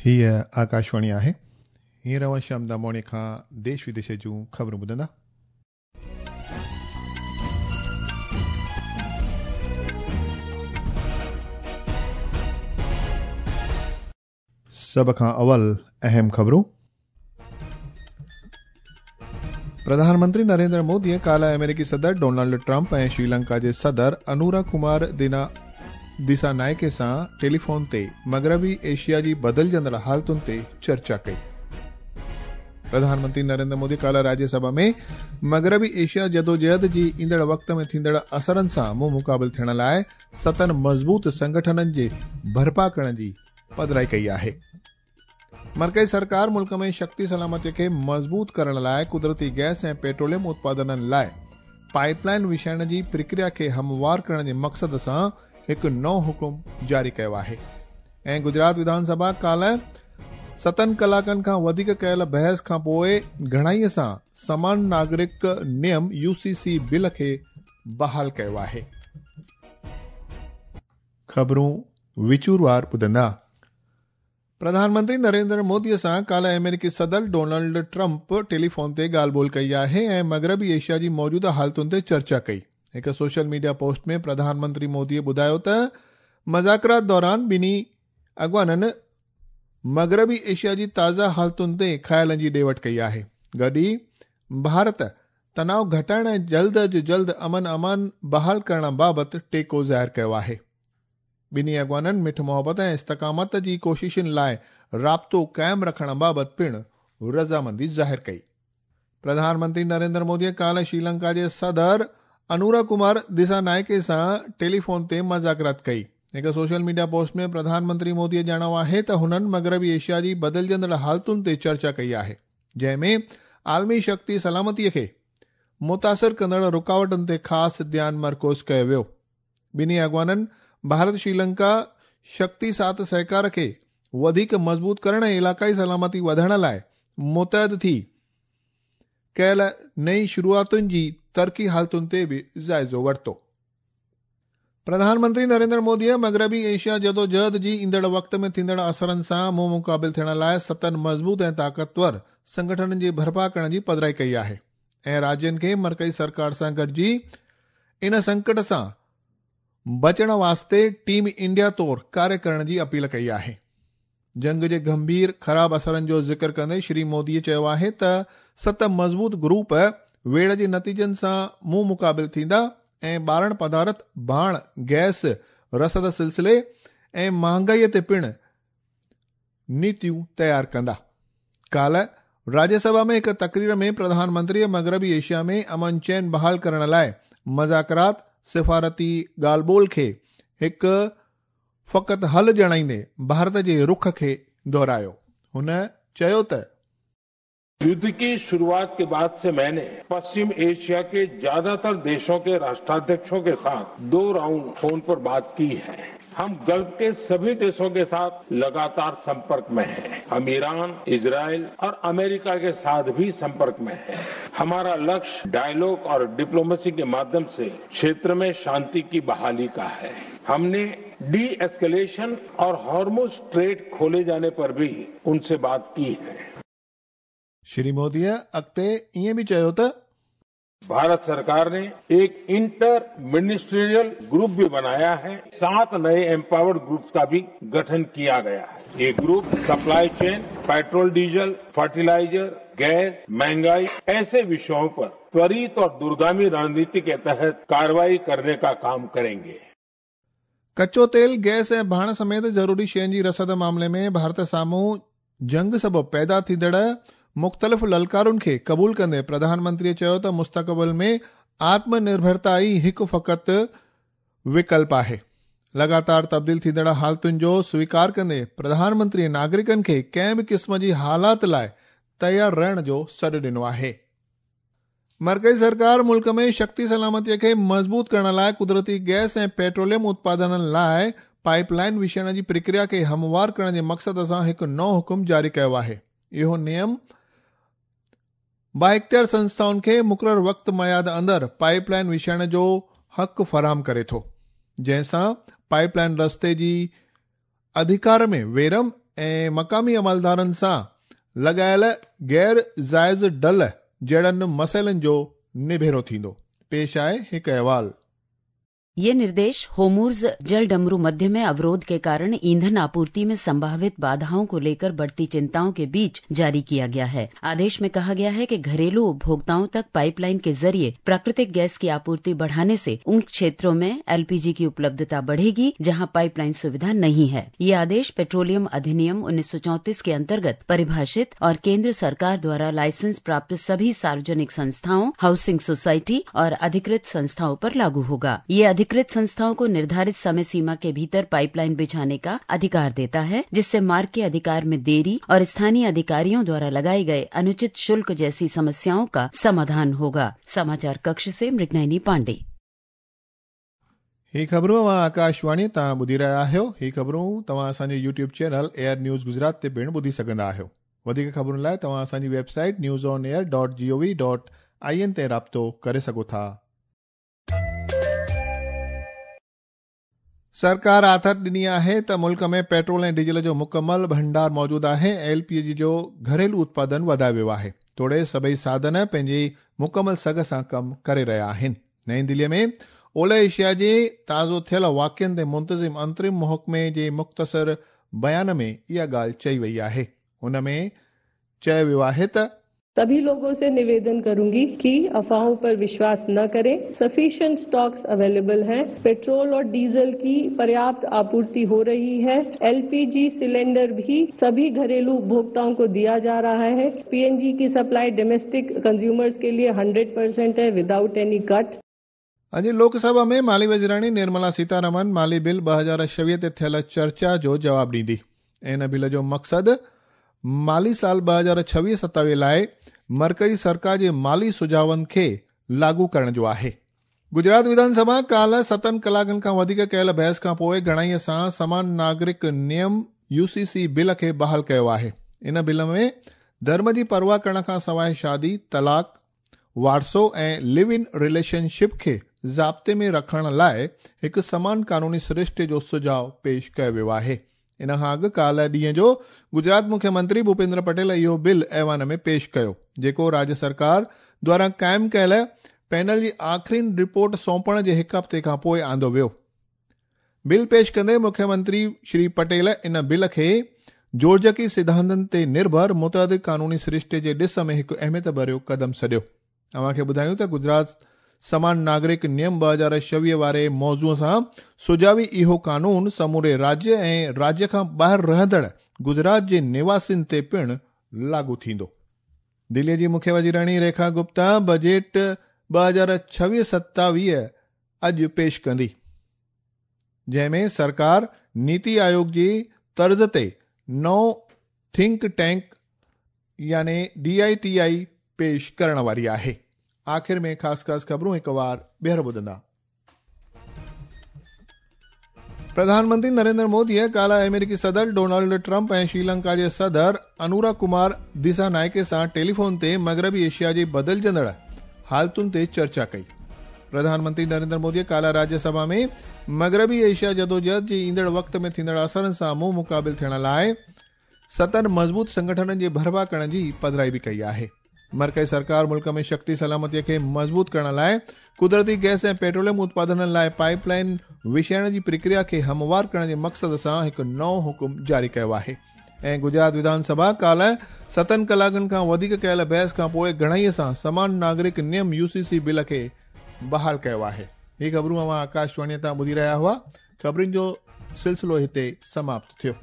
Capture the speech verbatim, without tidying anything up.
हीअ आकाशवाणी आहे। हींअर अव्हां श्याम दामोणी खां देश विदेश जूं ख़बरूं ॿुधंदा। सभ खां अवल अहम ख़बरूं। प्रधानमंत्री नरेंद्र मोदीअ काल्ह अमेरिकी सदर डोनाल्ड ट्रंप ऐं श्रीलंका जे सदर अनुरा कुमार दिना दिसानायके सां टेलीफोन ते मगरबी एशिया जी बदिलजंदड़ हालतुनि ते चर्चा कई। प्रधानमंत्री नरेंद्र मोदी काल्ह राज्यसभा में मगरबी एशिया जदोजहद जी ईंदड़ वक़्त में थींदड़ असरनि सां मुंहुं मुक़ाबिल थियण लाइ सतनि मज़बूत संगठननि जे बर्पा करण जी पधराई कई आहे। मरकज़ी सरकार मुल्क में शक्ति सलामती खे मज़बूत करण लाइ कुदरती गैस ऐं पेट्रोलियम उत्पादननि लाइ पाइपलाइन विछाइण जी प्रक्रिया खे हमवार करण जे मक़सद सां हिकु नओं हुकुम जारी कयो आहे। ऐं गुजरात विधानसभा काल्ह सतनि कलाकनि खां वधीक कयल बहस खां पोइ घणाईअ सां समान नागरिक नियम you C C bill खे बहाल कयो आहे। ख़बरूं विचूरवार ॿुधंदा। प्रधानमंत्री नरेंद्र मोदीअ सां काल्ह अमेरिकी सदर डोनाल्ड ट्रंप टेलीफोन ते ॻाल्हि ॿोल कई आहे ऐं मगरबी एशिया जी मौजूदा हालतुनि ते चर्चा कई। हिकु सोशल मीडिया पोस्ट में प्रधानमंत्री मोदीअ ॿुधायो त मज़ाकरात दौरान ॿिन्ही अॻवाननि मगरबी एशिया जी ताज़ा हालतुनि ते ख़्यालनि जी ॾे वठ कई आहे। गॾु ई भारत तनाव घटाइण ऐं जल्द अज़ जल्द अमन अमान बहाल करण बाबति टेको ज़ाहिर कयो आहे। ॿिन्ही अॻवाननि मिठ मोहबत ऐं इस्तिक़ामत जी कोशिशुनि लाइ राब्तो क़ाइमु रखण बाबति पिणु रज़ामंदी ज़ाहिर कई। प्रधानमंत्री नरेंद्र मोदीअ काल्ह श्रीलंका जे सदर अनुरा कुमार दिसानायके सां टेलीफोन ते मज़ाकरात कई। हिकु सोशल मीडिया पोस्ट में प्रधानमंत्री मोदीअ ॼाणायो आहे त हुननि मगरबी एशिया जी बदिलजंदड़ हालतुनि ते चर्चा कई आहे, जंहिंमें आलमी शक्ति सलामतीअ खे मुतासिर कंदड़ रुकावटुनि ते ख़ासि ध्यानु मरकूज़ कयो वियो। ॿिन्ही अॻवाननि भारत श्रीलंका शक्ति साथ सहकार खे वधीक मज़बूत करण ऐं इलाक़ाई सलामती वधाइण लाइ मुतहद थी कयल नई शुरूआतुनि जी तरक़ी हालतुनि ते बि जाइज़ो वरितो। प्रधानमंत्री नरेंद्र मोदीअ मगरबी एशिया जदोजहद जी ईंदड़ वक़्त में थींदड़ असरनि सां मुंहुं मुक़ाबिल थियण लाइ सतनि मज़बूत ऐं ताक़तवर संगठननि जे बर्पा करण जी पधराई कई आहे ऐं राज्यनि खे मरकज़ी सरकार सां गॾिजी इन संकट सां बचण वास्ते टीम इंडिया तौर कार्य करण जी अपील कई आहे। जंग जे गंभीर ख़राब असरनि जो ज़िक्र कंदे श्री मोदीअ चयो आहे त सत मज़बूत ग्रुप वेड़ जे नतीजनि सां मुंहुं मुक़ाबिल थींदा ऐं ॿारण पदार्थ, भाण, गैस रसद सिलसिले ऐं महांगाईअ ते पिणु नीतियूं तयारु कंदा। काल्ह राज्यसभा में हिकु तकरीर में प्रधानमंत्रीअ मगरबी एशिया में अमन चैन बहाल करण लाइ मज़ाकरात, सिफारती ॻाल्हि ॿोल खे हिकु फ़क़ति हल ॼाणाईंदे भारत जे रुख खे दोहरायो। हुन चयो त युद्ध की शुरुआत के बाद से मैंने पश्चिम एशिया के ज्यादातर देशों के राष्ट्राध्यक्षों के साथ दो राउंड फोन पर बात की है। हम गल्फ के सभी देशों के साथ लगातार संपर्क में हैं। हम ईरान, इजराइल और अमेरिका के साथ भी संपर्क में हैं। हमारा लक्ष्य डायलॉग और डिप्लोमेसी के माध्यम से क्षेत्र में शांति की बहाली का है। हमने डी एस्केलेशन और हॉर्मुज स्ट्रेट खोले जाने पर भी उनसे बात की है। श्री मोदीअ अॻिते ईअं बि चयो त भारत सरकार ने एक इंटर मिनिस्ट्रियल ग्रुप भी बनाया है। सात नए एम्पावर्ड ग्रुप्स का भी गठन किया गया है। ये group supply chain, petrol diesel, fertiliser, gas, महंगाई ऐसे विषयों पर त्वरित और दूरगामी रणनीति के तहत कार्रवाई करने का काम करेंगे। कच्चो तेल, गैस ऐं भाण समेत ज़रूरी शयुनि जी रसद मामले में भारत साम्हूं जंग सबबु पैदा थींदड़ मुख़्तलिफ़ ललकारुनि खे क़बूल कंदे प्रधानमंत्रीअ चयो त मुस्तक़बिल में आत्मनिर्भरता ई हिकु फ़क़ति विकल्प आहे। लगातार तब्दील थींदड़ हालतुनि जो स्वीकार कंदे प्रधानमंत्रीअ नागरिकनि खे कंहिं बि क़िस्म जी हालात लाइ तयारु रहण जो सॾु ॾिनो आहे। मरकज़ी सरकार मुल्क में शक्ति सलामतीअ खे मज़बूत करण लाइ कुदरती गैस ऐं पेट्रोलियम उत्पादननि लाइ पाइपलाइन विछाइण जी प्रक्रिया खे हमवार करण जे मक़सद सां हिकु नओं हुकुम जारी कयो आहे। इहो नियम बाइख्तियार संस्थाउनि खे मुक़ररु वक़्त मयाद अंदरि पाइपलाइन विछाइण जो हक़ फराहम करे थो, जंहिंसां पाइपलाइन रस्ते जी अधिकार में वेरम ऐं मक़ामी अमलदारनि सां लॻायल गैर जाइज़ डल जहिड़नि मसइलनि जो निभेरो थींदो। पेश आहे हिकु अहवाल। ये निर्देश होर्मुज जल डमरू मध्य में अवरोध के कारण ईंधन आपूर्ति में संभावित बाधाओं को लेकर बढ़ती चिंताओं के बीच जारी किया गया है। आदेश में कहा गया है कि घरेलू उपभोक्ताओं तक पाइपलाइन के जरिए प्राकृतिक गैस की आपूर्ति बढ़ाने से उन क्षेत्रों में एलपीजी की उपलब्धता बढ़ेगी जहां पाइपलाइन सुविधा नहीं है। ये आदेश पेट्रोलियम अधिनियम उन्नीस सौ चौंतीस के अंतर्गत परिभाषित और केंद्र सरकार द्वारा लाइसेंस प्राप्त सभी सार्वजनिक संस्थाओं, हाउसिंग सोसाइटी और अधिकृत संस्थाओं पर लागू होगा। ये अधिकृत संस्थाओं को निर्धारित समय सीमा के भीतर पाइपलाइन बिछाने का अधिकार देता है, जिससे मार्ग के अधिकार में देरी और स्थानीय अधिकारियों द्वारा लगाए गए अनुचित शुल्क जैसी समस्याओं का समाधान होगा। समाचार कक्ष से मृगनयनी पांडे। ही ख़बरूं अव्हां आकाशवाणी तां ॿुधी रहिया आहियो। ही ख़बरूं तव्हां असांजे YouTube channel Air News Gujarat ते पिणु ॿुधी सघंदा आहियो। वधीक ख़बरुनि लाइ तव्हां असांजी website news on air dot G O V dot I N ते राब्तो करे सघो था। सरकार आथत ॾिनी आहे त मुल्क में पेट्रोल ऐं डीज़ल जो मुकमल भंडार मौजूदु आहे। एलपीजी जो घरेलू उत्पादन वधायो वियो आहे, तोड़े सभई साधन पंहिंजी मुकमल सघ सां कमु करे रहिया आहिनि। नई दिल्लीअ में ओलह एशिया जे ताज़ो थियल वाक़ियनि ते मुंतज़िम अंतरिम महकमे जे मुख़्तसर बयान में इहा ॻाल्हि चई वई आहे। हुन में चयो वियो आहे त सभी लोगों से निवेदन करूंगी कि अफवाहों पर विश्वास न करें। सफिशिएंट स्टॉक्स अवेलेबल हैं, पेट्रोल और डीजल की पर्याप्त आपूर्ति हो रही है, एलपीजी सिलेंडर भी सभी घरेलू उपभोक्ताओं को दिया जा रहा है, पीएनजी की सप्लाई डोमेस्टिक कंज्यूमर्स के लिए सौ परसेंट है विदाउट एनी कट। अॼु लोकसभा में माली वज़ीराणी निर्मला सीतारमन माली बिल ॿ हज़ार छवीह ते थियल चर्चा जो जवाबु ॾींदी। इन बिल जो मक़सदु माली साल ॿ हज़ार छवीह सतावीह लाइ मरकज़ी सरकार जे माली सुझावनि खे लागू करण जो आहे। गुजरात विधानसभा काल्हि सतनि कलाकनि खां वधीक कयल बहस खां पोइ घणाईअ सां समान नागरिक नियम यूसीसी बिल खे बहाल कयो आहे। इन बिल में धर्म जी परवाह करण खां सवाइ शादी, तलाक, वारसो ऐं लिव इन रिलेशनशिप खे ज़ाब्ते में रखण लाइ हिकु समान कानूनी सृष्टि जो सुझाव पेश कयो वियो आहे। इन खां अॻु काल्हि ॾींहं जो गुजरात मुख्यमंत्री भूपेंद्र पटेल इहो बिल ऐवान में पेश कयो, जेको राज्य सरकार द्वारा क़ाइमु कयल पैनल जी आख़िरी रिपोर्ट सौंपण जे हिकु हफ़्ते खां पोइ आंदो वियो। बिल पेश कंदे मुख्यमंत्री श्री पटेल इन बिल खे जोड़जकी सिद्धांतनि ते निर्भर मुतअदिद कानूनी सृष्टि जे ॾिस में हिकु अहमियत भरियो क़दम सॾियो। अव्हांखे ॿुधायूं त गुजरात समान नागरिक नियम ॿ हज़ार छवीह वारे मौज़ूअ सां सुझावी इहो कानून समूरे राज्य ऐं राज्य खां ॿाहिरि रहंदड़ गुजरात जे निवासियुनि ते पिणु लागू थींदो। दिल्लीअ जी मुख्य वज़ीराणी रेखा गुप्ता बजट ॿ हज़ार छवीह सतावीह अॼु पेश कंदी, जंहिंमें सरकार नीति आयोग जी तर्ज़ ते नओं थिंक टैंक यानी डी I T I पेश करण वारी आहे। आख़िर में ख़ासि ख़ासि ख़बरूं हिकु वार ॿीहर ॿुधंदा। प्रधानमंत्री नरेंद्र मोदीअ काल्हि अमेरिकी सदर डोनाल्ड ट्रंप ऐं श्रीलंका जे सदर अनुरा कुमार दिसानायके सां टेलीफोन ते मग़रबी एशिया जी बदिलजंदड़ हालतुनि ते चर्चा कई। प्रधानमंत्री नरेंद्र मोदीअ काल्हि राज्यसभा में मग़रबी एशिया जदोजहद जे ईंदड़ वक़्त में थींदड़ असरनि सां मुंहुं मुक़ाबिल थियण लाइ सतनि मज़बूत संगठननि जे बर्पा करण जी पधराई बि कई आहे। मरकज़ी सरकार मुल्क में शक्ति सलामतीअ खे मज़बूत करण लाइ कुदरती गैस ऐं पेट्रोलियम उत्पादननि लाइ पाइपलाइन विछाइण जी प्रक्रिया खे हमवार करण जे मक़सद सां हिकु नओं हुकुम जारी कयो आहे। ऐं गुजरात विधानसभा काल्हि सतनि कलाकनि खां वधीक कयल बहस खां पोइ घणाईअ सां समान नागरिक नियम यूसीसी बिल खे बहाल कयो आहे। ही ख़बरूं अव्हां आकाशवाणीअ तां ॿुधी रहिया हुआ। ख़बरुनि जो सिलसिलो हिते समाप्त थियो।